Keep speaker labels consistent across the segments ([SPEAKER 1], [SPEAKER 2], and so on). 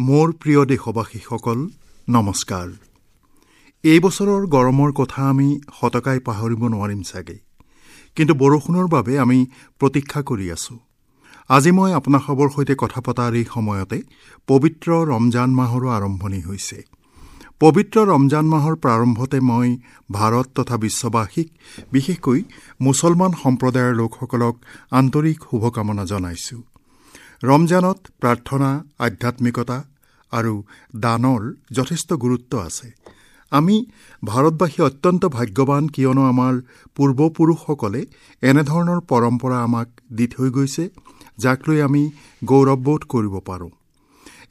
[SPEAKER 1] মোৰ প্ৰিয় দেশবাসীসকল, নমস্কাৰ। এই বছৰৰ গৰমৰ কথা আমি শতকাই পাহৰিব নোৱাৰিম চাগে, কিন্তু বৰষুণৰ বাবে আমি প্ৰতীক্ষা কৰি আছোঁ। আজি মই আপোনাসৱৰ সৈতে কথা পতাৰ এই সময়তে পবিত্ৰ ৰমজান মাহৰো আৰম্ভণি হৈছে। পবিত্ৰ ৰমজান মাহৰ প্ৰাৰম্ভতে মই ভাৰত তথা বিশ্ববাসীক, বিশেষকৈ মুছলমান সম্প্ৰদায়ৰ লোকসকলক আন্তৰিক শুভকামনা জনাইছোঁ। ৰমজানত প্ৰাৰ্থনা, আধ্যাত্মিকতা আৰু দানৰ যথেষ্ট গুৰুত্ব আছে। আমি ভাৰতবাসী অত্যন্ত ভাগ্যৱান, কিয়নো আমাৰ পূৰ্বপুৰুষসকলে এনেধৰণৰ পৰম্পৰা আমাক দি থৈ গৈছে, যাক লৈ আমি গৌৰৱবোধ কৰিব পাৰোঁ।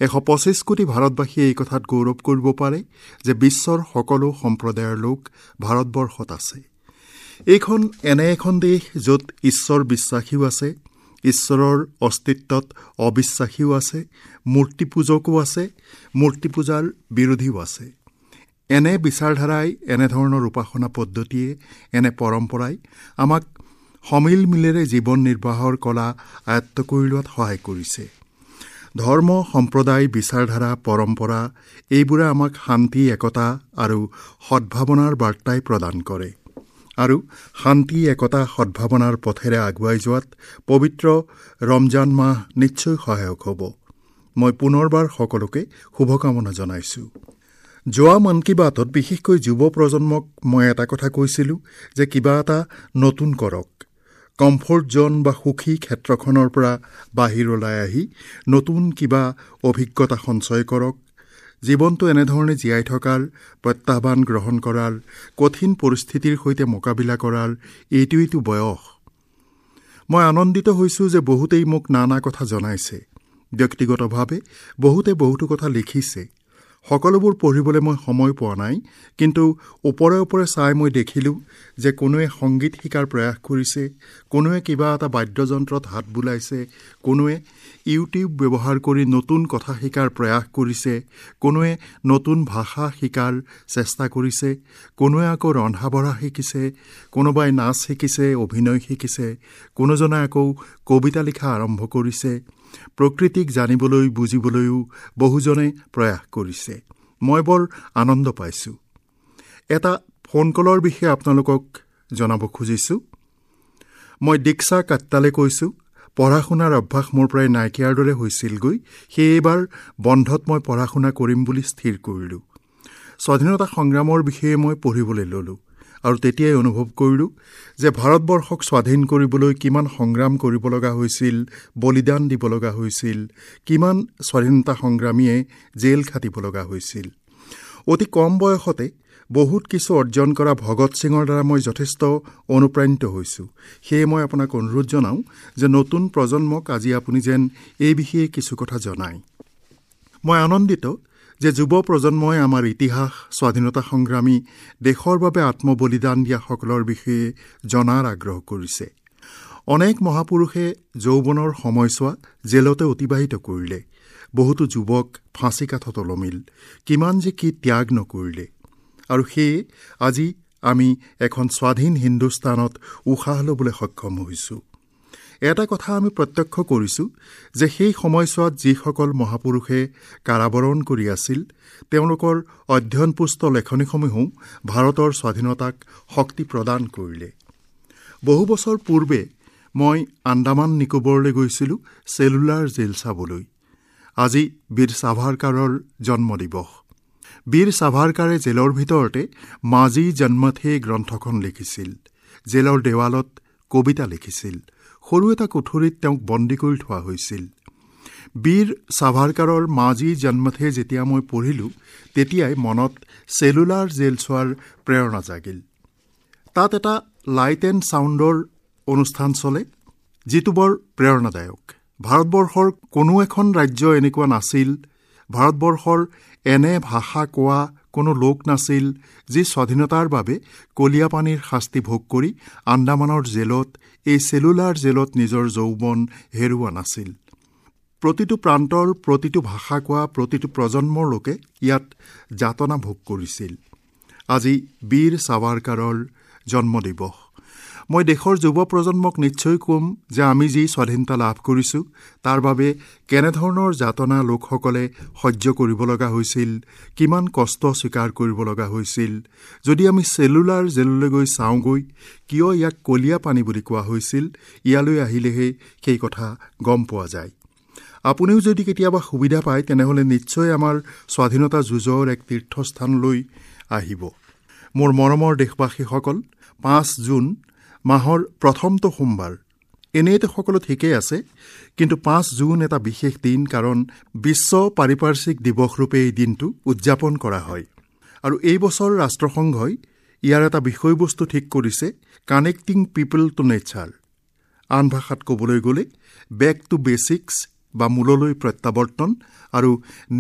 [SPEAKER 1] 125 কোটি ভাৰতবাসীয়ে এই কথাত গৌৰৱ কৰিব পাৰে যে বিশ্বৰ সকলো সম্প্ৰদায়ৰ লোক ভাৰতবৰ্ষত আছে। এইখন এনে এখন দেশ য'ত ঈশ্বৰ বিশ্বাসীও আছে, ঈশ্বৰৰ অস্তিত্বত অবিশ্বাসীও আছে, মূৰ্তি পূজকো আছে, মূৰ্তি পূজাৰ বিৰোধীও আছে। এনে বিচাৰধাৰাই, এনেধৰণৰ উপাসনা পদ্ধতিয়ে, এনে পৰম্পৰাই আমাক সমিল মিলেৰে জীৱন নিৰ্বাহৰ কলা আয়ত্ত কৰি লোৱাত সহায় কৰিছে। ধৰ্ম, সম্প্ৰদায়, বিচাৰধাৰা, পৰম্পৰা এইবোৰে আমাক শান্তি, একতা আৰু সদ্ভাৱনাৰ বাৰ্তাই প্ৰদান কৰে আৰু শান্তি, একতা, সদ্ভাৱনাৰ পথেৰে আগুৱাই যোৱাত পবিত্ৰ ৰমজান মাহ নিশ্চয় সহায়ক হ'ব। মই পুনৰবাৰ সকলোকে শুভকামনা জনাইছোঁ। যোৱা মন কী বাতত বিশেষকৈ যুৱ প্ৰজন্মক মই এটা কথা কৈছিলোঁ যে কিবা এটা নতুন কৰক। কমফৰ্ট জ'ন বা সুখী ক্ষেত্ৰখনৰ পৰা বাহিৰ ওলাই আহি নতুন কিবা অভিজ্ঞতা সঞ্চয় কৰক। জীৱনটো এনেধৰণে জীয়াই থকাৰ, প্ৰত্যাহ্বান গ্ৰহণ কৰাৰ, কঠিন পৰিস্থিতিৰ সৈতে মোকাবিলা কৰাৰ এইটোৱেইটো বয়স। মই আনন্দিত হৈছোঁ যে বহুতেই মোক নানা কথা জনাইছে। ব্যক্তিগতভাৱে বহুতে বহুতো কথা লিখিছে। সকলোবোৰ পঢ়িবলৈ মই সময় পোৱা নাই, কিন্তু ওপৰে ওপৰে চাই মই দেখিলোঁ যে কোনোৱে সংগীত শিকাৰ প্ৰয়াস কৰিছে, কোনোৱে কিবা এটা বাদ্যযন্ত্ৰত হাত বুলাইছে, কোনোৱে ইউটিউব ব্যৱহাৰ কৰি নতুন কথা শিকাৰ প্ৰয়াস কৰিছে, কোনোৱে নতুন ভাষা শিকাৰ চেষ্টা কৰিছে, কোনোৱে আকৌ ৰন্ধা বঢ়া শিকিছে, কোনোবাই নাচ শিকিছে, অভিনয় শিকিছে, কোনোজনে আকৌ কবিতা লিখা আৰম্ভ কৰিছে। প্ৰকৃতিক জানিবলৈ, বুজিবলৈও বহুজনে প্ৰয়াস কৰিছে। মই বৰ আনন্দ পাইছোঁ। এটা ফোন কলৰ বিষয়ে আপোনালোকক জনাব খুজিছোঁ। মই দীক্ষা কাট্টালে কৈছোঁ। পঢ়া শুনাৰ অভ্যাস মোৰ প্ৰায় নাইকিয়াৰ দৰে হৈছিলগৈ, সেয়ে এইবাৰ বন্ধত মই পঢ়া শুনা কৰিম বুলি স্থিৰ কৰিলোঁ। স্বাধীনতা সংগ্ৰামৰ বিষয়ে মই পঢ়িবলৈ ল'লোঁ আৰু তেতিয়াই অনুভৱ কৰিলোঁ যে ভাৰতবৰ্ষক স্বাধীন কৰিবলৈ কিমান সংগ্ৰাম কৰিব লগা হৈছিল, বলিদান দিব লগা হৈছিল, কিমান স্বাধীনতা সংগ্ৰামীয়ে জেল খাটিব লগা হৈছিল। অতি কম বয়সতে বহুত কিছু অৰ্জন কৰা ভগত সিঙৰ দ্বাৰা মই যথেষ্ট অনুপ্ৰাণিত হৈছোঁ। সেয়ে মই আপোনাক অনুৰোধ জনাওঁ যে নতুন প্ৰজন্মক আজি আপুনি যেন এই বিষয়ে কিছু কথা জনায়। মই আনন্দিত যে যুৱ প্ৰজন্মই আমাৰ ইতিহাস, স্বাধীনতা সংগ্ৰামী, দেশৰ বাবে আত্মবলিদান দিয়াসকলৰ বিষয়ে জনাৰ আগ্ৰহ কৰিছে। অনেক মহাপুৰুষে যৌৱনৰ সময়ছোৱা জেলতে অতিবাহিত কৰিলে, বহুতো যুৱক ফাঁচি কাঠত ওলমিল, কিমান যে কি ত্যাগ নকৰিলে। আৰু সেয়ে আজি আমি এখন স্বাধীন হিন্দুস্তানত উশাহ ল'বলৈ সক্ষম হৈছোঁ। এটা কথা আমি প্ৰত্যক্ষ কৰিছোঁ যে সেই সময়ছোৱাত যিসকল মহাপুৰুষে কাৰাবৰণ কৰি আছিল, তেওঁলোকৰ অধ্যয়নপুষ্ট লেখনিসমূহেও ভাৰতৰ স্বাধীনতাক শক্তি প্ৰদান কৰিলে। বহু বছৰ পূৰ্বে মই আন্দামান নিকোবৰলৈ গৈছিলোঁ চেলুলাৰ জেল চাবলৈ। আজি বীৰ সাভাৰকাৰৰ জন্মদিৱস। বীৰ সাভাৰকাৰে জেলৰ ভিতৰতে মাজি জন্মথে গ্ৰন্থখন লিখিছিল। জেলৰ দেৱালত কবিতা লিখিছিল। সৰু এটা কোঠৰীত তেওঁক বন্দী কৰি থোৱা হৈছিল। বীৰ সাভাৰকাৰৰ মাজি জন্মথে যেতিয়া মই পঢ়িলোঁ, তেতিয়াই মনত চেলুলাৰ জেল চোৱাৰ প্ৰেৰণা জাগিল। তাত এটা লাইট এণ্ড ছাউণ্ডৰ অনুষ্ঠান চলে, যিটো বৰ প্ৰেৰণাদায়ক। ভাৰতবৰ্ষৰ কোনো এখন ৰাজ্য এনেকুৱা নাছিল, ভাৰতবৰ্ষৰ এনে ভাষা কোৱা কোনো লোক নাছিল যি স্বাধীনতাৰ বাবে কলীয়াপানীৰ শাস্তি ভোগ কৰি আন্দামানৰ জেলত, এই চেলুলাৰ জেলত নিজৰ যৌৱন হেৰুওৱা নাছিল। প্ৰতিটো প্ৰান্তৰ, প্ৰতিটো ভাষা কোৱা, প্ৰতিটো প্ৰজন্মৰ লোকে ইয়াত যাতনা ভোগ কৰিছিল। আজি বীৰ সাভাৰকাৰৰ জন্মদিৱস। মই দেশৰ যুৱ প্ৰজন্মক নিশ্চয় ক'ম যে আমি যি স্বাধীনতা লাভ কৰিছোঁ তাৰ বাবে কেনেধৰণৰ যাতনা লোকসকলে সহ্য কৰিব লগা হৈছিল, কিমান কষ্ট স্বীকাৰ কৰিব লগা হৈছিল। যদি আমি চেলুলাৰ জেললৈ গৈ চাওঁগৈ কিয় ইয়াক কলীয়া পানী বুলি কোৱা হৈছিল, ইয়ালৈ আহিলেহে সেই কথা গম পোৱা যায়। আপুনিও যদি কেতিয়াবা সুবিধা পায় তেনেহ'লে নিশ্চয় আমাৰ স্বাধীনতা যুঁজৰ এক তীৰ্থস্থানলৈ আহিব। মোৰ মৰমৰ দেশবাসীসকল, 5 জুন মাহৰ প্ৰথমটো সোমবাৰ। এনেইতো সকলো ঠিকেই আছে, কিন্তু 5 জুন এটা বিশেষ দিন, কাৰণ বিশ্ব পাৰিপাৰ্শ্বিক দিৱস ৰূপে এই দিনটো উদযাপন কৰা হয়। আৰু এই বছৰ ৰাষ্ট্ৰসংঘই ইয়াৰ এটা বিষয়বস্তু ঠিক কৰিছে, কানেক্টিং পিপল টু নেচাৰ। আন ভাষাত ক'বলৈ গ'লে বেক টু বেচিক্স বা মূললৈ প্ৰত্যাৱৰ্তন আৰু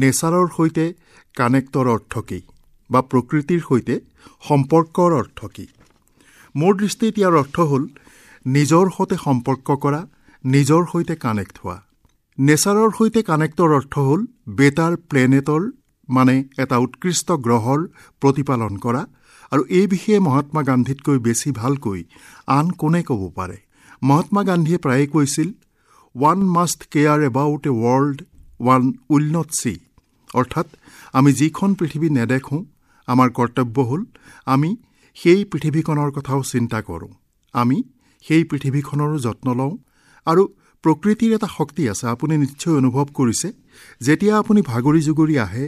[SPEAKER 1] নেচাৰৰ সৈতে কানেক্টৰ অৰ্থ কি বা প্ৰকৃতিৰ সৈতে সম্পৰ্কৰ অৰ্থ কি। মোৰ দৃষ্টিত ইয়াৰ অৰ্থ হ'ল নিজৰ সৈতে সম্পৰ্ক কৰা, নিজৰ সৈতে কানেক্ট হোৱা। নেচাৰৰ সৈতে কানেক্টৰ অৰ্থ হ'ল বেটাৰ প্লেনেটৰ, মানে এটা উৎকৃষ্ট গ্ৰহৰ প্ৰতিপালন কৰা। আৰু এই বিষয়ে মহাত্মা গান্ধীতকৈ বেছি ভালকৈ আন কোনে ক'ব পাৰে? মহাত্মা গান্ধীয়ে প্ৰায়ে কৈছিল, one must care about a world one will not see. অৰ্থাৎ আমি যিখন পৃথিৱী নেদেখোঁ, আমাৰ কৰ্তব্য হ'ল আমি সেই পৃথিৱীখনৰ কথাও চিন্তা কৰোঁ, আমি সেই পৃথিৱীখনৰো যত্ন লওঁ। আৰু প্ৰকৃতিৰ এটা শক্তি আছে, আপুনি নিশ্চয় অনুভৱ কৰিছে, যেতিয়া আপুনি ভাগৰি জুগৰি আহে,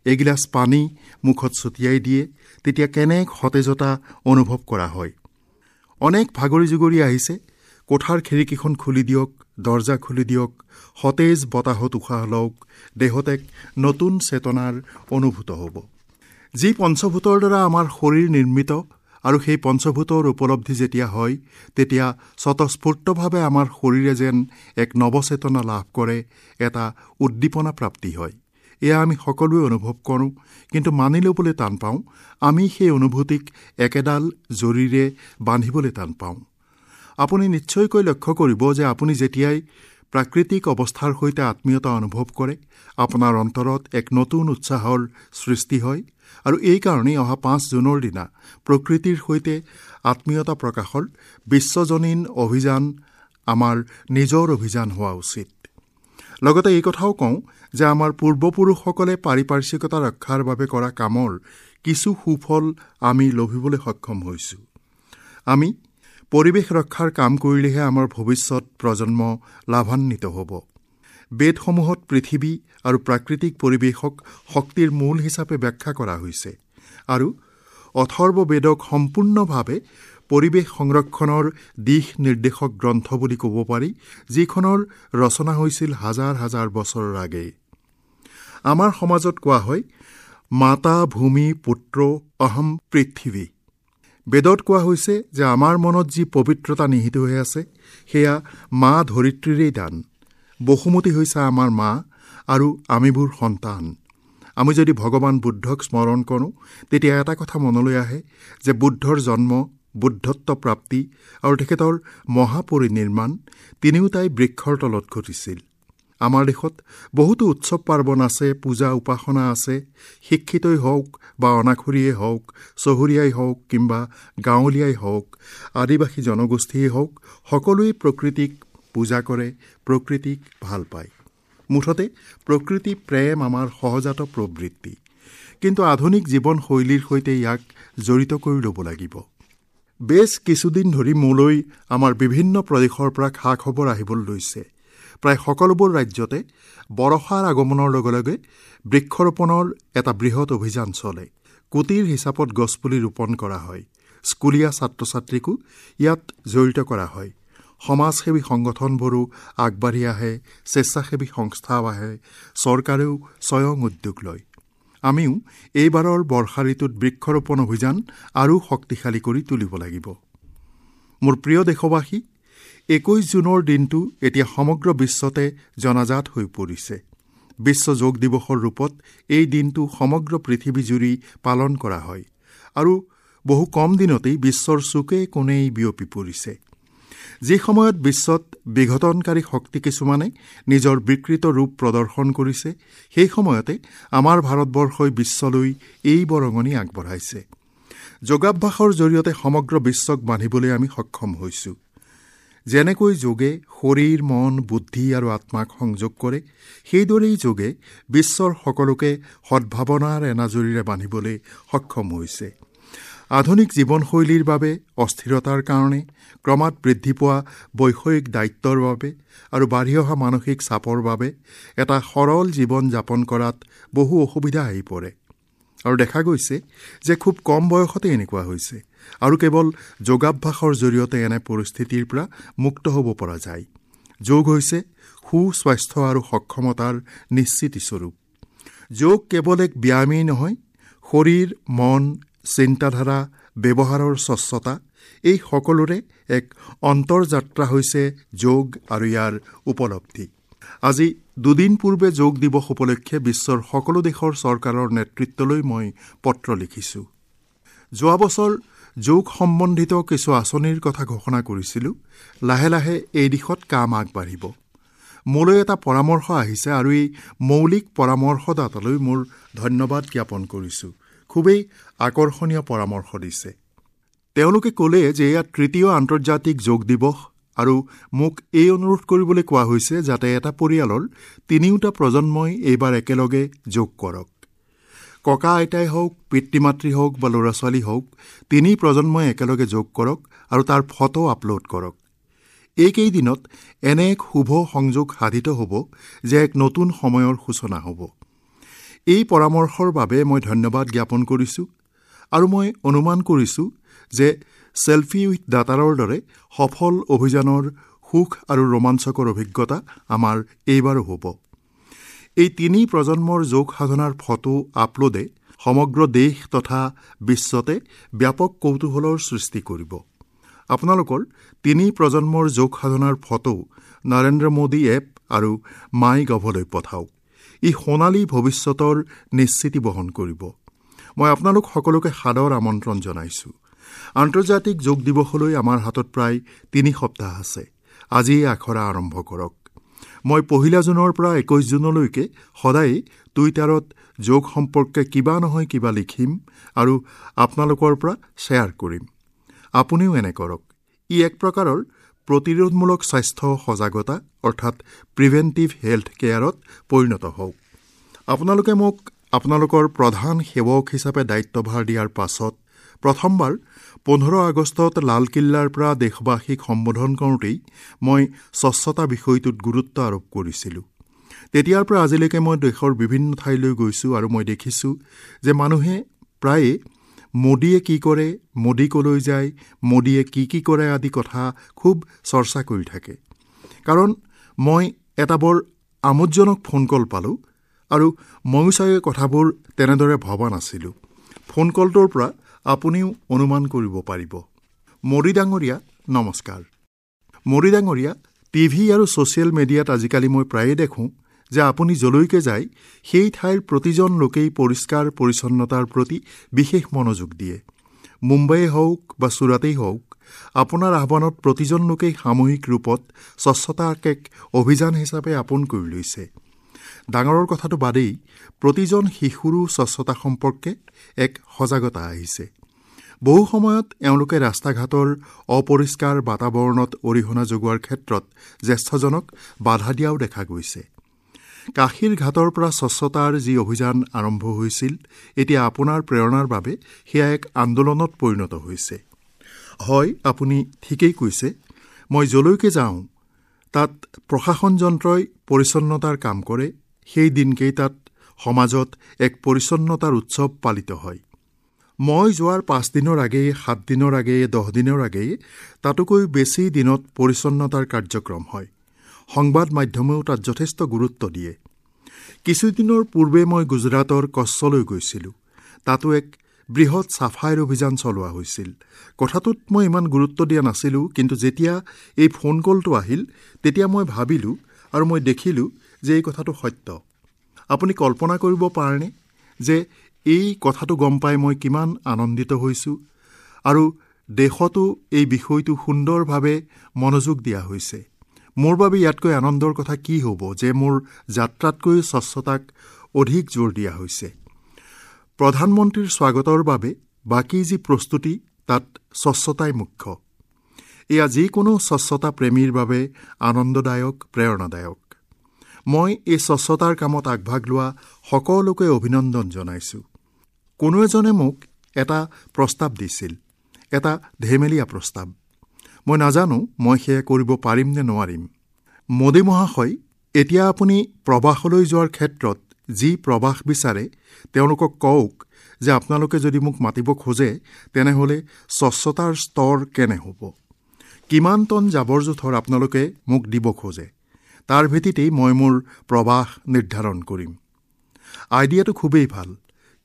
[SPEAKER 1] এগিলাচ পানী মুখত ছটিয়াই দিয়ে, তেতিয়া কেনে সতেজতা অনুভৱ কৰা হয়। অনেক ভাগৰি জুগৰি আহিছে, কোঠাৰ খিৰিকীখন খুলি দিয়ক, দৰ্জা খুলি দিয়ক, সতেজ বতাহত উশাহ লওক, দেহত এক নতুন চেতনাৰ অনুভূত হ'ব। যি পঞ্চভূতৰ দ্বাৰা আমাৰ শৰীৰ নিৰ্মিত আৰু সেই পঞ্চভূতৰ উপলব্ধি যেতিয়া হয়, তেতিয়া স্বতঃস্ফূৰ্তভাৱে আমাৰ শৰীৰে যেন এক নৱচেতনা লাভ কৰে, এটা উদ্দীপনা প্ৰাপ্তি হয়। এয়া আমি সকলোৱে অনুভৱ কৰোঁ, কিন্তু মানি ল'বলৈ টান পাওঁ। আমি সেই অনুভূতিক একেডাল জৰীৰে বান্ধিবলৈ টান পাওঁ। আপুনি নিশ্চয়কৈ লক্ষ্য কৰিব যে আপুনি যেতিয়াই প্ৰাকৃতিক অৱস্থাৰ সৈতে আত্মীয়তা অনুভৱ কৰে, আপোনাৰ অন্তৰত এক নতুন উৎসাহৰ সৃষ্টি হয়। আৰু এইকাৰণেই অহা 5 জুনৰ দিনা প্ৰকৃতিৰ সৈতে আত্মীয়তা প্ৰকাশৰ বিশ্বজনীন অভিযান আমাৰ নিজৰ অভিযান হোৱা উচিত। লগতে এই কথাও কওঁ যে আমাৰ পূৰ্বপুৰুষসকলে পাৰিপাৰ্শ্বিকতা ৰক্ষাৰ বাবে কৰা কামৰ কিছু সুফল আমি লভিবলৈ সক্ষম হৈছোঁ। আমি পৰিৱেশ ৰক্ষাৰ কাম কৰিলেহে আমাৰ ভৱিষ্যত প্ৰজন্ম লাভান্বিত হ'ব। বেদসমূহত পৃথিৱী আৰু প্ৰাকৃতিক পৰিৱেশক শক্তিৰ মূল হিচাপে ব্যাখ্যা কৰা হৈছে আৰু অথৰ্ব বেদক সম্পূৰ্ণভাৱে পৰিৱেশ সংৰক্ষণৰ দিশ নিৰ্দেশক গ্ৰন্থ বুলি ক'ব পাৰি, যিখনৰ ৰচনা হৈছিল হাজাৰ হাজাৰ বছৰৰ আগেয়ে। আমাৰ সমাজত কোৱা হয়, মাতা ভূমি পুত্ৰ অহম পৃথিৱী। বেদত কোৱা হৈছে যে আমাৰ মনত যি পবিত্ৰতা নিহিত হৈ আছে, সেয়া মা ধৰিত্ৰীৰেই দান। বসুমতী হৈছে আমাৰ মা আৰু আমিবোৰ সন্তান। আমি যদি ভগৱান বুদ্ধক স্মৰণ কৰোঁ, তেতিয়া এটা কথা মনলৈ আহে যে বুদ্ধৰ জন্ম, বুদ্ধত্ব প্ৰাপ্তি আৰু তেখেতৰ মহাপৰিনিৰ্মাণ তিনিওটাই বৃক্ষৰ তলত ঘটিছিল। আমাৰ দেশত বহুতো উৎসৱ পাৰ্বণ আছে, পূজা উপাসনা আছে। শিক্ষিতই হওক বা অনাখৰীয়েই হওক, চহৰীয়াই হওক কিম্বা গাঁৱলীয়াই হওক, আদিবাসী জনগোষ্ঠীয়েই হওক, সকলোৱে প্ৰকৃতিক পূজা কৰে, প্ৰকৃতিক ভাল পায়। মুঠতে প্ৰকৃতি প্ৰেম আমাৰ সহজাত প্ৰবৃত্তি, কিন্তু আধুনিক জীৱনশৈলীৰ সৈতে ইয়াক জড়িত কৰি ল'ব লাগিব। বেছ কিছুদিন ধৰি মোলৈ আমাৰ বিভিন্ন প্ৰদেশৰ পৰা খা খবৰ আহিবলৈ লৈছে। প্ৰায় সকলোবোৰ ৰাজ্যতে বৰষাৰ আগমনৰ লগে লগে বৃক্ষৰোপণৰ এটা বৃহৎ অভিযান চলে। কোটিৰ হিচাপত গছপুলি ৰোপণ কৰা হয়। স্কুলীয়া ছাত্ৰ ছাত্ৰীকো ইয়াত জড়িত কৰা হয়। সমাজসেৱী সংগঠনবোৰো আগবাঢ়ি আহে, স্বেচ্ছাসেৱী সংস্থাও আহে, চৰকাৰেও স্বয়ং উদ্যোগ লয়। আমিও এইবাৰৰ বৰ্ষা ঋতুত বৃক্ষৰোপণ অভিযান আৰু শক্তিশালী কৰি তুলিব লাগিব। মোৰ প্ৰিয় দেশবাসী, 21 জুনৰ দিনটো এতিয়া সমগ্ৰ বিশ্বতে জনাজাত হৈ পৰিছে। বিশ্ব যোগ দিৱসৰ ৰূপত এই দিনটো সমগ্ৰ পৃথিৱীজুৰি পালন কৰা হয় আৰু বহু কম দিনতেই বিশ্বৰ চুকে কোণেই বিয়পি পৰিছে। যি সময়ত বিশ্বত বিঘটনকাৰী শক্তি কিছুমানে নিজৰ বিকৃত ৰূপ প্ৰদৰ্শন কৰিছে, সেই সময়তে আমাৰ ভাৰতবৰ্ষই বিশ্বলৈ এই বৰঙণি আগবঢ়াইছে। যোগাভ্যাসৰ জৰিয়তে সমগ্ৰ বিশ্বক বান্ধিবলৈ আমি সক্ষম হৈছোঁ। যেনেকৈ যোগে শৰীৰ, মন, বুদ্ধি আৰু আত্মাক সংযোগ কৰে, সেইদৰেই যোগে বিশ্বৰ সকলোকে সদ্ভাৱনাৰ এনাজৰীৰে বান্ধিবলৈ সক্ষম হৈছে। আধুনিক জীৱনশৈলীৰ বাবে, অস্থিৰতাৰ কাৰণে, ক্ৰমাৎ বৃদ্ধি পোৱা বৈষয়িক দায়িত্বৰ বাবে আৰু বাঢ়ি অহা মানসিক চাপৰ বাবে এটা সৰল জীৱন যাপন কৰাত বহু অসুবিধা আহি পৰে। আৰু দেখা গৈছে যে খুব কম বয়সতে এনেকুৱা হৈছে আৰু কেৱল যোগাভ্যাসৰ জৰিয়তে এনে পৰিস্থিতিৰ পৰা মুক্ত হ'ব পৰা যায়। যোগ হৈছে সুস্বাস্থ্য আৰু সক্ষমতাৰ নিশ্চিতিস্বৰূপ। যোগ কেৱল এক ব্যায়ামেই নহয়, শৰীৰ, মন, চিন্তাধাৰা, ব্যৱহাৰৰ স্বচ্ছতা, এই সকলোৰে এক অন্তৰ্যাত্ৰা হৈছে যোগ আৰু ইয়াৰ উপলব্ধি। আজি দুদিন পূৰ্বে যোগ দিৱস উপলক্ষে বিশ্বৰ সকলো দেশৰ চৰকাৰৰ নেতৃত্বলৈ মই পত্ৰ লিখিছোঁ। যোৱা বছৰ যোগ সম্বন্ধিত কিছু আঁচনিৰ কথা ঘোষণা কৰিছিলোঁ। লাহে লাহে এই দিশত কাম আগবাঢ়িব। মোলৈ এটা পৰামৰ্শ আহিছে আৰু এই মৌলিক পৰামৰ্শদাতালৈ মোৰ ধন্যবাদ জ্ঞাপন কৰিছোঁ। খুবেই আকৰ্ষণীয় পৰামৰ্শ দিছে। তেওঁলোকে ক'লে যে এয়া তৃতীয় আন্তৰ্জাতিক যোগ দিৱস আৰু মোক এই অনুৰোধ কৰিবলৈ কোৱা হৈছে যাতে এটা পৰিয়ালৰ তিনিওটা প্ৰজন্মই এইবাৰ একেলগে যোগ কৰক। ককা আইতাই হওক, পিতৃ মাতৃ হওক বা ল'ৰা ছোৱালী হওক, তিনি প্ৰজন্মই একেলগে যোগ কৰক আৰু তাৰ ফটো আপলোড কৰক। এইকেইদিনত এনে এক শুভ সংযোগ সাধিত হ'ব যে এক নতুন সময়ৰ সূচনা হ'ব। এই পৰামৰ্শৰ বাবে মই ধন্যবাদ জ্ঞাপন কৰিছোঁ আৰু মই অনুমান কৰিছোঁ যে চেলফি উইথ দাতাৰৰ দৰে সফল অভিযানৰ সুখ আৰু ৰোমাঞ্চকৰ অভিজ্ঞতা আমাৰ এইবাৰো হ'ব। এই তিনি প্ৰজন্মৰ যোগ সাধনাৰ ফটো আপলোডে সমগ্ৰ দেশ তথা বিশ্বতে ব্যাপক কৌতূহলৰ সৃষ্টি কৰিব। আপোনালোকৰ তিনি প্ৰজন্মৰ যোগ সাধনাৰ ফটো নৰেন্দ্ৰ মোদী এপ আৰু মাই গভলৈ পঠাওক। ই সোণালী ভৱিষ্যতৰ নিশ্চিতি বহন কৰিব। মই আপোনালোক সকলোকে সাদৰ আমন্ত্ৰণ জনাইছোঁ। আন্তৰ্জাতিক যোগ দিৱসলৈ আমাৰ হাতত প্ৰায় 3 সপ্তাহ আছে। আজিয়ে আখৰা আৰম্ভ কৰক। মই 1 জুনৰ পৰা 21 জুনলৈকে সদায়ে টুইটাৰত যোগ সম্পৰ্কে কিবা নহয় কিবা লিখিম আৰু আপোনালোকৰ পৰা শ্বেয়াৰ কৰিম। আপুনিও এনে কৰক। ই এক প্ৰকাৰৰ প্ৰতিৰোধমূলক স্বাস্থ্য সজাগতা অৰ্থাৎ প্ৰিভেণ্টিভ হেল্থ কেয়াৰত পৰিণত হওক। আপোনালোকে মোক আপোনালোকৰ প্ৰধান সেৱক হিচাপে দায়িত্বভাৰ দিয়াৰ পাছত প্ৰথমবাৰ 15 আগষ্টত লালকিল্লাৰ পৰা দেশবাসীক সম্বোধন কৰোঁতেই মই স্বচ্ছতা বিষয়টোত গুৰুত্ব আৰোপ কৰিছিলোঁ। তেতিয়াৰ পৰা আজিলৈকে মই দেশৰ বিভিন্ন ঠাইলৈ গৈছোঁ আৰু মই দেখিছোঁ যে মানুহে প্ৰায়ে মোদীয়ে কি কৰে, মোদী ক'লৈ যায়, মোদীয়ে কি কি কৰে আদি কথা খুব চৰ্চা কৰি থাকে। কাৰণ মই এটা বৰ আমোদজনক ফোন কল পালোঁ আৰু ময়ো চাগে কথাবোৰ তেনেদৰে ভবা নাছিলোঁ। ফোন কলটোৰ পৰা আপুনিও অনুমান কৰিব পাৰিব। মোদী ডাঙৰীয়া, নমস্কাৰ। মোদী ডাঙৰীয়া, টিভি আৰু ছ'চিয়েল মিডিয়াত আজিকালি মই প্ৰায়ে দেখোঁ যে আপুনি যলৈকে যায় সেই ঠাইৰ প্ৰতিজন লোকেই পৰিষ্কাৰ পৰিচ্ছন্নতাৰ প্ৰতি বিশেষ মনোযোগ দিয়ে। মুম্বাইয়ে হওক বা চুৰাটেই হওক, আপোনাৰ আহ্বানত প্ৰতিজন লোকেই সামূহিক ৰূপত স্বচ্ছতাক এক অভিযান হিচাপে আপোন কৰি লৈছে। ডাঙৰৰ কথাটো বাদেই, প্ৰতিজন শিশুৰো স্বচ্ছতা সম্পৰ্কে এক সজাগতা আহিছে। বহু সময়ত এওঁলোকে ৰাস্তা ঘাটৰ অপৰিষ্কাৰ বাতাবৰণত অৰিহণা যোগোৱাৰ ক্ষেত্ৰত জ্যেষ্ঠজনক বাধা দিয়াও দেখা গৈছে। কাশীৰ ঘাটৰ পৰা স্বচ্ছতাৰ যি অভিযান আৰম্ভ হৈছিল, এতিয়া আপোনাৰ প্ৰেৰণাৰ বাবে সেয়া এক আন্দোলনত পৰিণত হৈছে। হয়, আপুনি ঠিকেই কৈছে। মই যলৈকে যাওঁ তাত প্ৰশাসন যন্ত্ৰই পৰিচ্ছন্নতাৰ কাম কৰে। সেই দিনকেইটাত সমাজত এক পৰিচ্ছন্নতাৰ উৎসৱ পালিত হয়। মই যোৱাৰ 5 দিনৰ আগেয়ে, 7 দিনৰ আগেয়ে, 10 দিনৰ আগেয়ে, তাতোকৈ বেছি দিনত পৰিচ্ছন্নতাৰ কাৰ্যক্ৰম হয়। সংবাদ মাধ্যমেও তাত যথেষ্ট গুৰুত্ব দিয়ে। কিছুদিনৰ পূৰ্বে মই গুজৰাটৰ কচ্ছলৈ গৈছিলোঁ। তাতো এক বৃহৎ চাফাইৰ অভিযান চলোৱা হৈছিল। কথাটোত মই ইমান গুৰুত্ব দিয়া নাছিলোঁ, কিন্তু যেতিয়া এই ফোন কলটো আহিল তেতিয়া মই ভাবিলোঁ আৰু মই দেখিলোঁ যে এই কথাটো সত্য। আপুনি কল্পনা কৰিব পাৰেনে যে এই কথাটো গম পাই মই কিমান আনন্দিত হৈছোঁ আৰু দেশতো এই বিষয়টো সুন্দৰভাৱে মনোযোগ দিয়া হৈছে। মোৰ বাবে ইয়াতকৈ আনন্দৰ কথা কি হ'ব যে মোৰ যাত্ৰাতকৈ স্বচ্ছতাক অধিক জোৰ দিয়া হৈছে। প্ৰধানমন্ত্ৰীৰ স্বাগতৰ বাবে বাকী যি প্ৰস্তুতি তাত স্বচ্ছতাই মুখ্য। এয়া যিকোনো স্বচ্ছতা প্ৰেমীৰ বাবে আনন্দদায়ক, প্ৰেৰণাদায়ক। মই এই স্বচ্ছতাৰ কামত আগভাগ লোৱা সকলোকে অভিনন্দন জনাইছোঁ। কোনো এজনে মোক এটা প্ৰস্তাৱ দিছিল, এটা ধেমেলীয়া প্ৰস্তাৱ। মই নাজানো মই সেয়া কৰিব পাৰিম নে নোৱাৰিম। মোদী মহাশয়, এতিয়া আপুনি প্ৰবাসলৈ যোৱাৰ ক্ষেত্ৰত যি প্ৰবাস বিচাৰে তেওঁলোকক কওক যে আপোনালোকে যদি মোক মাতিব খোজে তেনেহ'লে স্বচ্ছতাৰ স্তৰ কেনে হ'ব, কিমান টন জাবৰ জোঁথৰ আপোনালোকে মোক দিব খোজে, তাৰ ভিত্তিতেই মই মোৰ প্ৰবাস নিৰ্ধাৰণ কৰিম। আইডিয়াটো খুবেই ভাল,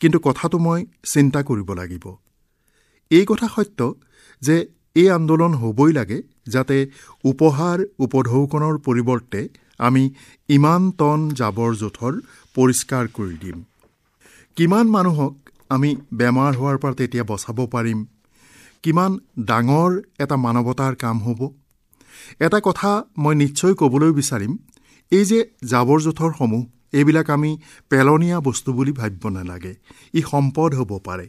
[SPEAKER 1] কিন্তু কথাটো মই চিন্তা কৰিব লাগিব। এই কথা সত্য যে এই আন্দোলন হ'বই লাগে, যাতে উপহাৰ উপঢৌকনৰ পৰিৱৰ্তে আমি ইমান টন জাবৰ জোঁথৰ পৰিষ্কাৰ কৰি দিম। কিমান মানুহক আমি বেমাৰ হোৱাৰ পৰা তেতিয়া বচাব পাৰিম, কিমান ডাঙৰ এটা মানৱতাৰ কাম হ'ব। এটা কথা মই নিশ্চয় ক'বলৈ বিচাৰিম, এই যে জাবৰ জোঁথৰসমূহ, এইবিলাক আমি পেলনীয়া বস্তু বুলি ভাবিব নালাগে, ই সম্পদ হ'ব পাৰে।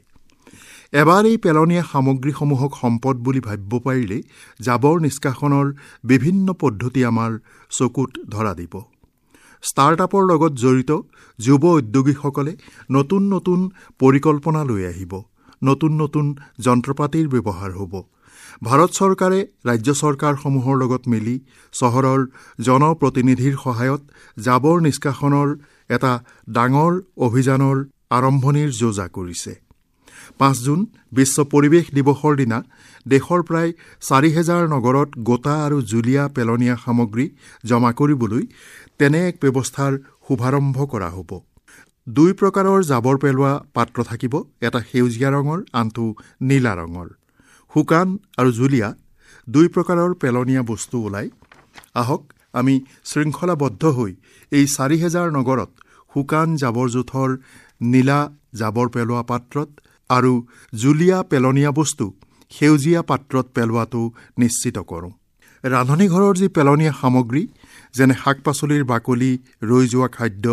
[SPEAKER 1] এবাৰ এই পেলনীয়া সামগ্ৰীসমূহক সম্পদ বুলি ভাবিব পাৰিলেই জাবৰ নিষ্কাশনৰ বিভিন্ন পদ্ধতি আমাৰ চকুত ধৰা দিব। ষ্টাৰ্টআপৰ লগত জড়িত যুৱ উদ্যোগীসকলে নতুন নতুন পৰিকল্পনা লৈ আহিব, নতুন নতুন যন্ত্ৰপাতিৰ ব্যৱহাৰ হ'ব। ভাৰত চৰকাৰে ৰাজ্য চৰকাৰসমূহৰ লগত মিলি চহৰৰ জনপ্ৰতিনিধিৰ সহায়ত জাবৰ নিষ্কাশনৰ এটা ডাঙৰ অভিযানৰ আৰম্ভণিৰ যোজা কৰিছে। 5 জুন বিশ্ব পৰিৱেশ দিৱসৰ দিনা দেশৰ প্ৰায় 4000 নগৰত গোটা আৰু জুলীয়া পেলনীয়া সামগ্ৰী জমা কৰিবলৈ তেনে এক ব্যৱস্থাৰ শুভাৰম্ভ কৰা হ'ব। 2 প্ৰকাৰৰ জাবৰ পেলোৱা পাত্ৰ থাকিব, এটা সেউজীয়া ৰঙৰ, আনটো নীলা ৰঙৰ। শুকান আৰু জুলীয়া 2 প্ৰকাৰৰ পেলনীয়া বস্তু ওলায়। আহক আমি শৃংখলাবদ্ধ হৈ এই 4000 নগৰত শুকান জাবৰ জোঁথৰ নীলা জাবৰ পেলোৱা পাত্ৰত আৰু জুলীয়া পেলনীয়া বস্তু সেউজীয়া পাত্ৰত পেলোৱাটো নিশ্চিত কৰোঁ। ৰান্ধনী ঘৰৰ যি পেলনীয়া সামগ্ৰী, যেনে শাক পাচলিৰ বাকলি, ৰৈ যোৱা খাদ্য,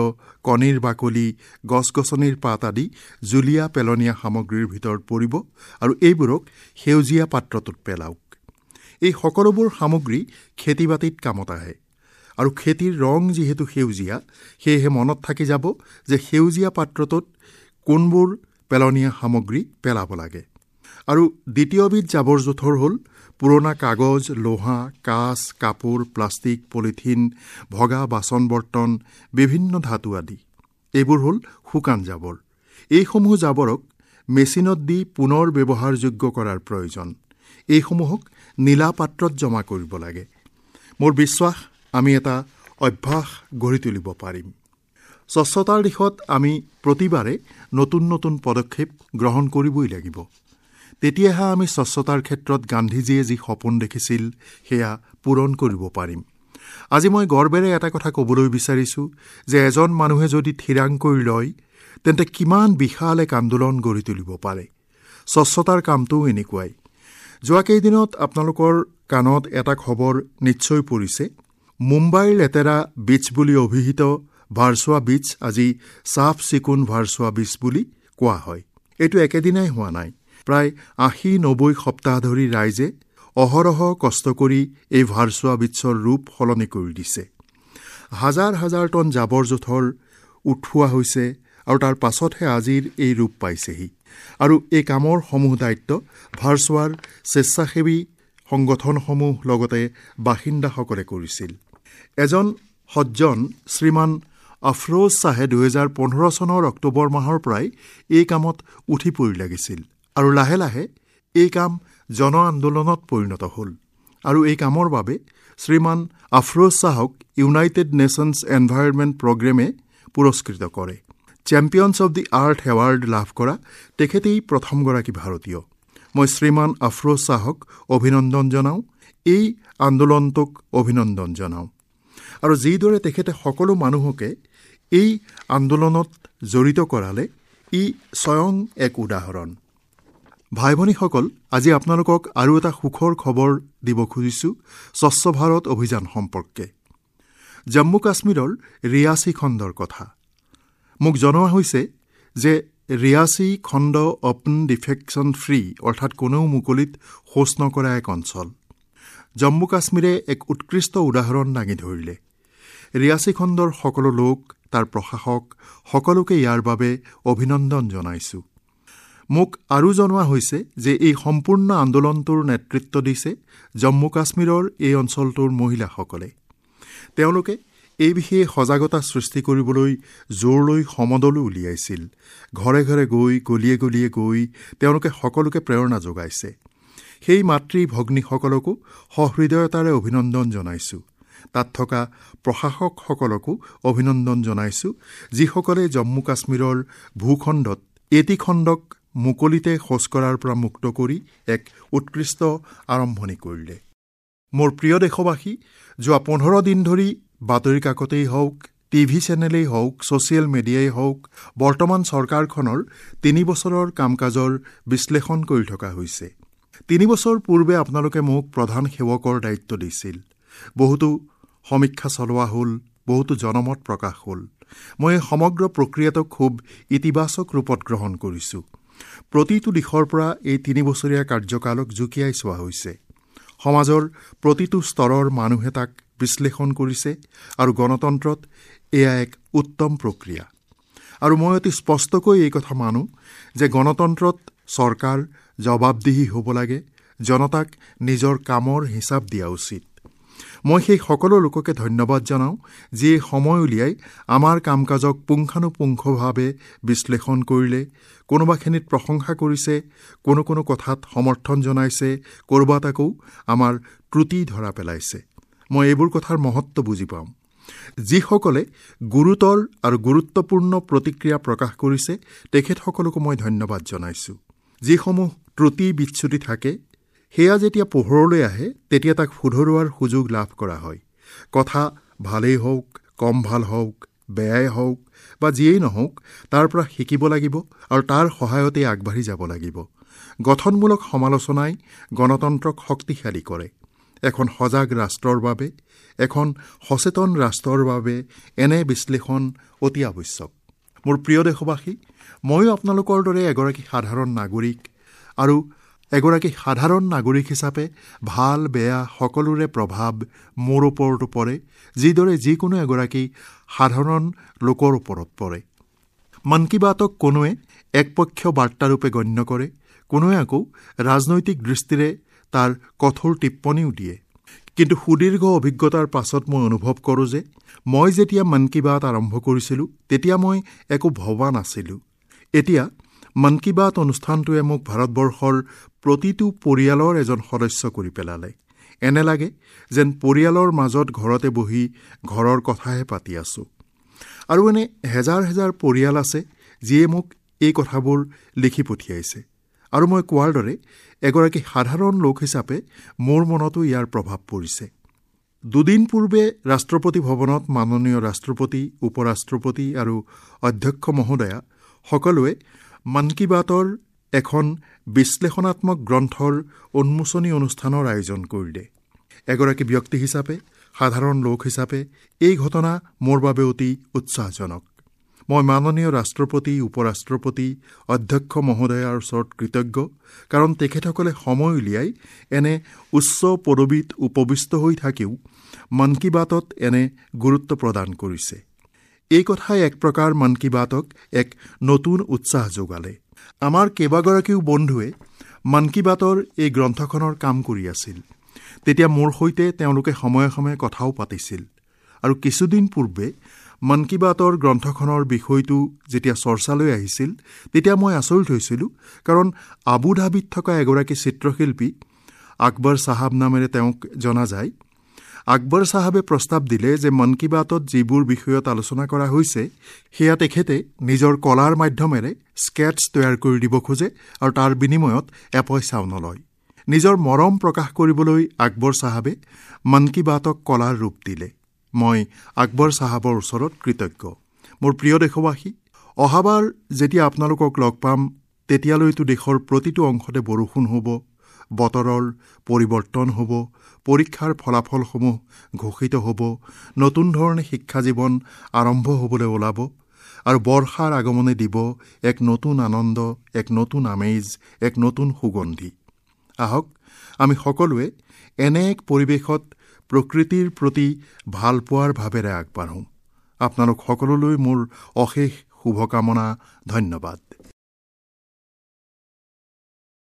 [SPEAKER 1] কণীৰ বাকলি, গছ গছনিৰ পাত আদি জুলীয়া পেলনীয়া সামগ্ৰীৰ ভিতৰত পৰিব আৰু এইবোৰক সেউজীয়া পাত্ৰটোত পেলাওক। এই সকলোবোৰ সামগ্ৰী খেতি বাতিত কামত আহে আৰু খেতিৰ ৰং যিহেতু সেউজীয়া, সেয়েহে মনত থাকি যাব যে সেউজীয়া পাত্ৰটোত কোনবোৰ পেলনীয়া সামগ্ৰী পেলাব লাগে। আৰু দ্বিতীয়বিধ জাবৰ জোঁথৰ হ'ল পুৰণা কাগজ, লোহা, কাঁচ, কাপোৰ, প্লাষ্টিক, পলিথিন, ভগা বাচন বৰ্তন, বিভিন্ন ধাতু আদি। এইবোৰ হ'ল শুকান জাবৰ। এইসমূহ জাবৰক মেচিনত দি পুনৰ ব্যৱহাৰযোগ্য কৰাৰ প্ৰয়োজন। এইসমূহক নীলা পাত্ৰত জমা কৰিব লাগে। মোৰ বিশ্বাস আমি এটা অভ্যাস গঢ়ি তুলিব পাৰিম। স্বচ্ছতাৰ দিশত আমি প্ৰতিবাৰে নতুন নতুন পদক্ষেপ গ্ৰহণ কৰিবই লাগিব। তেতিয়াহে আমি স্বচ্ছতাৰ ক্ষেত্ৰত গান্ধীজীয়ে যি সপোন দেখিছিল সেয়া পূৰণ কৰিব পাৰিম। আজি মই গৰ্বেৰে এটা কথা ক'বলৈ বিচাৰিছোঁ যে এজন মানুহে যদি থিৰাং কৰি লয় তেন্তে কিমান বিশাল এক আন্দোলন গঢ়ি তুলিব পাৰে। স্বচ্ছতাৰ কামটোও এনেকুৱাই। যোৱা কেইদিনত আপোনালোকৰ কাণত এটা খবৰ নিশ্চয় পৰিছে। মুম্বাইৰ লেতেৰা বীচ বুলি অভিহিত ভাৰ্চোৱা বীচ আজি চাফ চিকুণ ভাৰ্চোৱা বীচ বুলি কোৱা হয়। এইটো একেদিনাই হোৱা নাই। প্ৰায় 80-90 সপ্তাহ ধৰি ৰাইজে অহৰহ কষ্ট কৰি এই ভাৰ্চোৱা বীচৰ ৰূপ সলনি কৰি দিছে। হাজাৰ হাজাৰ টন জাবৰ জোঁথৰ উঠোৱা হৈছে আৰু তাৰ পাছতহে আজিৰ এই ৰূপ পাইছেহি। আৰু এই কামৰ সমূহ দায়িত্ব ভাৰ্চোৱাৰ স্বেচ্ছাসেৱী সংগঠনসমূহ লগতে বাসিন্দাসকলে কৰিছিল। এজন সজ্জন শ্ৰীমান আফৰোজ শ্বাহে 2015 চনৰ অক্টোবৰ মাহৰ পৰাই এই কামত উঠি পৰি লাগিছিল আৰু লাহে লাহে এই কাম জন আন্দোলনত পৰিণত হ'ল। আৰু এই কামৰ বাবে শ্ৰীমান আফৰোজ শ্বাহক ইউনাইটেড নেশ্যনছ এনভাইৰনমেণ্ট প্ৰগ্ৰেমে পুৰস্কৃত কৰে। Champions of the earth award লাভ কৰা তেখেতেই প্ৰথমগৰাকী ভাৰতীয়। মই শ্ৰীমান আফৰোজ শ্বাহক অভিনন্দন জনাওঁ, এই আন্দোলনটোক অভিনন্দন জনাওঁ। আৰু যিদৰে তেখেতে সকলো মানুহকে এই আন্দোলনত জড়িত কৰালে, ই স্বয়ং এক উদাহৰণ। ভাই ভনীসকল, আজি আপোনালোকক আৰু এটা সুখৰ খবৰ দিব খুজিছোঁ স্বচ্ছ ভাৰত অভিযান সম্পৰ্কে। জম্মু কাশ্মীৰৰ ৰিয়াচী খণ্ডৰ কথা মোক জনোৱা হৈছে যে ৰিয়াচী খণ্ড অপেন ডিফেকশ্যন ফ্ৰী, অৰ্থাৎ কোনেও মুকলিত শৌচ নকৰা এক অঞ্চল। জম্মু কাশ্মীৰে এক উৎকৃষ্ট উদাহৰণ দাঙি ধৰিলে। ৰিয়াচী খণ্ডৰ সকলো লোক, তাৰ প্ৰশাসক সকলোকে ইয়াৰ বাবে অভিনন্দন জনাইছোঁ। মোক আৰু জনোৱা হৈছে যে এই সম্পূৰ্ণ আন্দোলনটোৰ নেতৃত্ব দিছে জম্মু কাশ্মীৰৰ এই অঞ্চলটোৰ মহিলাসকলে। তেওঁলোকে এই বিষয়ে সজাগতা সৃষ্টি কৰিবলৈ জোৰ লৈ সমদলো উলিয়াইছিল। ঘৰে ঘৰে গৈ, গলিয়ে গলিয়ে গৈ তেওঁলোকে সকলোকে প্ৰেৰণা যোগাইছে। সেই মাতৃ ভগ্নীসকলকো সহৃদয়তাৰে অভিনন্দন জনাইছোঁ। তাত থকা প্ৰশাসকসকলকো অভিনন্দন জনাইছোঁ, যিসকলে জম্মু কাশ্মীৰৰ ভূখণ্ডত এটি খণ্ডক মুকলিতে শৌচ কৰাৰ পৰা মুক্ত কৰি এক উৎকৃষ্ট আৰম্ভণি কৰিলে। মোৰ প্ৰিয় দেশবাসী, যোৱা 15 দিন ধৰি বাতৰি কাকতেই হওক, টিভি চেনেলেই হওক, ছ'চিয়েল মিডিয়াই হওক, বৰ্তমান চৰকাৰখনৰ 3 বছৰৰ কাম কাজৰ বিশ্লেষণ কৰি থকা হৈছে। 3 বছৰ পূৰ্বে আপোনালোকে মোক প্ৰধান সেৱকৰ দায়িত্ব দিছিল। বহুতো সমীক্ষা চলোৱা হ'ল, বহুতো জনমত প্ৰকাশ হ'ল। মই এই সমগ্ৰ প্ৰক্ৰিয়াটোক খুব ইতিবাচক ৰূপত গ্ৰহণ কৰিছোঁ। প্ৰতিটো দিশৰ পৰা এই 3 বছৰীয়া কাৰ্যকালক জুকিয়াই চোৱা হৈছে। সমাজৰ প্ৰতিটো স্তৰৰ মানুহে তাক বিশ্লেষণ কৰিছে আৰু গণতন্ত্ৰত এয়া এক উত্তম প্ৰক্ৰিয়া। আৰু মই অতি স্পষ্টকৈ এই কথা মানো যে গণতন্ত্ৰত চৰকাৰ জবাবদিহি হ'ব লাগে, জনতাক নিজৰ কামৰ হিচাপ দিয়া উচিত। মই সেই সকলো লোককে ধন্যবাদ জনাওঁ যিয়ে সময় উলিয়াই আমাৰ কাম কাজক পুংখানুপুংখভাৱে বিশ্লেষণ কৰিলে, কোনোবাখিনিত প্ৰশংসা কৰিছে, কোনো কোনো কথাত সমৰ্থন জনাইছে, ক'ৰবাত আকৌ আমাৰ ত্ৰুটি ধৰা পেলাইছে। মই এইবোৰ কথাৰ মহত্ব বুজি পাওঁ। যিসকলে গুৰুতৰ আৰু গুৰুত্বপূৰ্ণ প্ৰতিক্ৰিয়া প্ৰকাশ কৰিছে তেখেতসকলকো মই ধন্যবাদ জনাইছোঁ। যিসমূহ ত্ৰুটি বিচ্যুতি থাকে সেয়া যেতিয়া পোহৰলৈ আহে তেতিয়া তাক শুধৰোৱাৰ সুযোগ লাভ কৰা হয়। কথা ভালেই হওক, কম ভাল হওক, বেয়াই হওক বা যিয়েই নহওক, তাৰ পৰা শিকিব লাগিব আৰু তাৰ সহায়তেই আগবাঢ়ি যাব লাগিব। গঠনমূলক সমালোচনাই গণতন্ত্ৰক শক্তিশালী কৰে। এখন সজাগ ৰাষ্ট্ৰৰ বাবে, এখন সচেতন ৰাষ্ট্ৰৰ বাবে এনে বিশ্লেষণ অতি আৱশ্যক। মোৰ প্ৰিয় দেশবাসী, ময়ো আপোনালোকৰ দৰে এগৰাকী সাধাৰণ নাগৰিক আৰু এগৰাকী সাধাৰণ নাগৰিক হিচাপে ভাল বেয়া সকলোৰে প্ৰভাৱ মোৰ ওপৰতো পৰে, যিদৰে যিকোনো এগৰাকী সাধাৰণ লোকৰ ওপৰত পৰে। মন কী বাতক কোনোৱে একপক্ষীয় বাৰ্তাৰূপে গণ্য কৰে, কোনোৱে আকৌ ৰাজনৈতিক দৃষ্টিৰে তাৰ কঠোৰ টিপ্পনীও দিয়ে। কিন্তু সুদীৰ্ঘ অভিজ্ঞতাৰ পাছত মই অনুভৱ কৰোঁ যে মই যেতিয়া মন কী বাত আৰম্ভ কৰিছিলোঁ তেতিয়া মই একো ভবা নাছিলোঁ। এতিয়া মন কী বাত অনুষ্ঠানটোৱে মোক ভাৰতবৰ্ষৰ প্ৰতিটো পৰিয়ালৰ এজন সদস্য কৰি পেলালে। এনে লাগে যেন পৰিয়ালৰ মাজত ঘৰতে বহি ঘৰৰ কথাহে পাতি আছোঁ। আৰু এনে হেজাৰ হেজাৰ পৰিয়াল আছে যিয়ে মোক এই কথাবোৰ লিখি পঠিয়াইছে। আৰু মই কোৱাৰ দৰে এগৰাকী সাধাৰণ লোক হিচাপে মোৰ মনতো ইয়াৰ প্ৰভাৱ পৰিছে। দুদিন পূৰ্বে ৰাষ্ট্ৰপতি ভৱনত মাননীয় ৰাষ্ট্ৰপতি, উপৰাষ্ট্ৰপতি আৰু অধ্যক্ষ মহোদয়া সকলোৱে মন কী বাতৰ এখন বিশ্লেষণাত্মক গ্ৰন্থৰ উন্মোচনী অনুষ্ঠানৰ আয়োজন কৰিলে। এগৰাকী ব্যক্তি হিচাপে, সাধাৰণ লোক হিচাপে এই ঘটনা মোৰ বাবে অতি উৎসাহজনক। মই মাননীয় ৰাষ্ট্ৰপতি, উপৰাষ্ট্ৰপতি, অধ্যক্ষ মহোদয়াৰ ওচৰত কৃতজ্ঞ, কাৰণ তেখেতসকলে সময় উলিয়াই এনে উচ্চ পদবীত উপবিষ্ট হৈ থাকিও মন কী বাতত এনে গুৰুত্ব প্ৰদান কৰিছে। এই কথাই এক প্ৰকাৰ মন কী বাতক এক নতুন উৎসাহ যোগালে। আমাৰ কেইবাগৰাকীও বন্ধুৱে মন কী বাতৰ এই গ্ৰন্থখনৰ কাম কৰি আছিল। তেতিয়া মোৰ সৈতে তেওঁলোকে সময়ে সময়ে কথাও পাতিছিল। আৰু কিছুদিন পূৰ্বে মন কী বাতৰ গ্ৰন্থখনৰ বিষয়টো যেতিয়া চৰ্চালৈ আহিছিল তেতিয়া মই আচৰিত হৈছিলোঁ, কাৰণ আবুধাবিত থকা এগৰাকী চিত্ৰশিল্পী আকবৰ চাহাব নামেৰে তেওঁক জনা যায়। আকবৰ চাহাবে প্ৰস্তাৱ দিলে যে মন কী বাতত যিবোৰ বিষয়ত আলোচনা কৰা হৈছে সেয়া তেখেতে নিজৰ কলাৰ মাধ্যমেৰে স্কেটছ তৈয়াৰ কৰি দিব খোজে আৰু তাৰ বিনিময়ত এপইচাও নলয়। নিজৰ মৰম প্ৰকাশ কৰিবলৈ আকবৰ চাহাবে মন কী বাতক কলাৰ ৰূপ দিলে। মই আকবৰ চাহাবৰ ওচৰত কৃতজ্ঞ। মোৰ প্ৰিয় দেশবাসী, অহাবাৰ যেতিয়া আপোনালোকক লগ পাম তেতিয়ালৈতো দেশৰ প্ৰতিটো অংশতে বৰষুণ হ'ব, বতৰৰ পৰিৱৰ্তন হ'ব, পৰীক্ষাৰ ফলাফলসমূহ ঘোষিত হ'ব, নতুন ধৰণে শিক্ষা জীৱন আৰম্ভ হ'বলৈ ওলাব আৰু বৰ্ষাৰ আগমনে দিব এক নতুন আনন্দ, এক নতুন আমেজ, এক নতুন সুগন্ধি। আহক আমি সকলোৱে এনে এক পৰিৱেশত প্ৰকৃতিৰ প্ৰতি ভালপোৱাৰ ভাৱেৰে আগবাঢ়োঁ। আপোনালোক সকলোলৈ মোৰ অশেষ শুভকামনা। ধন্যবাদ।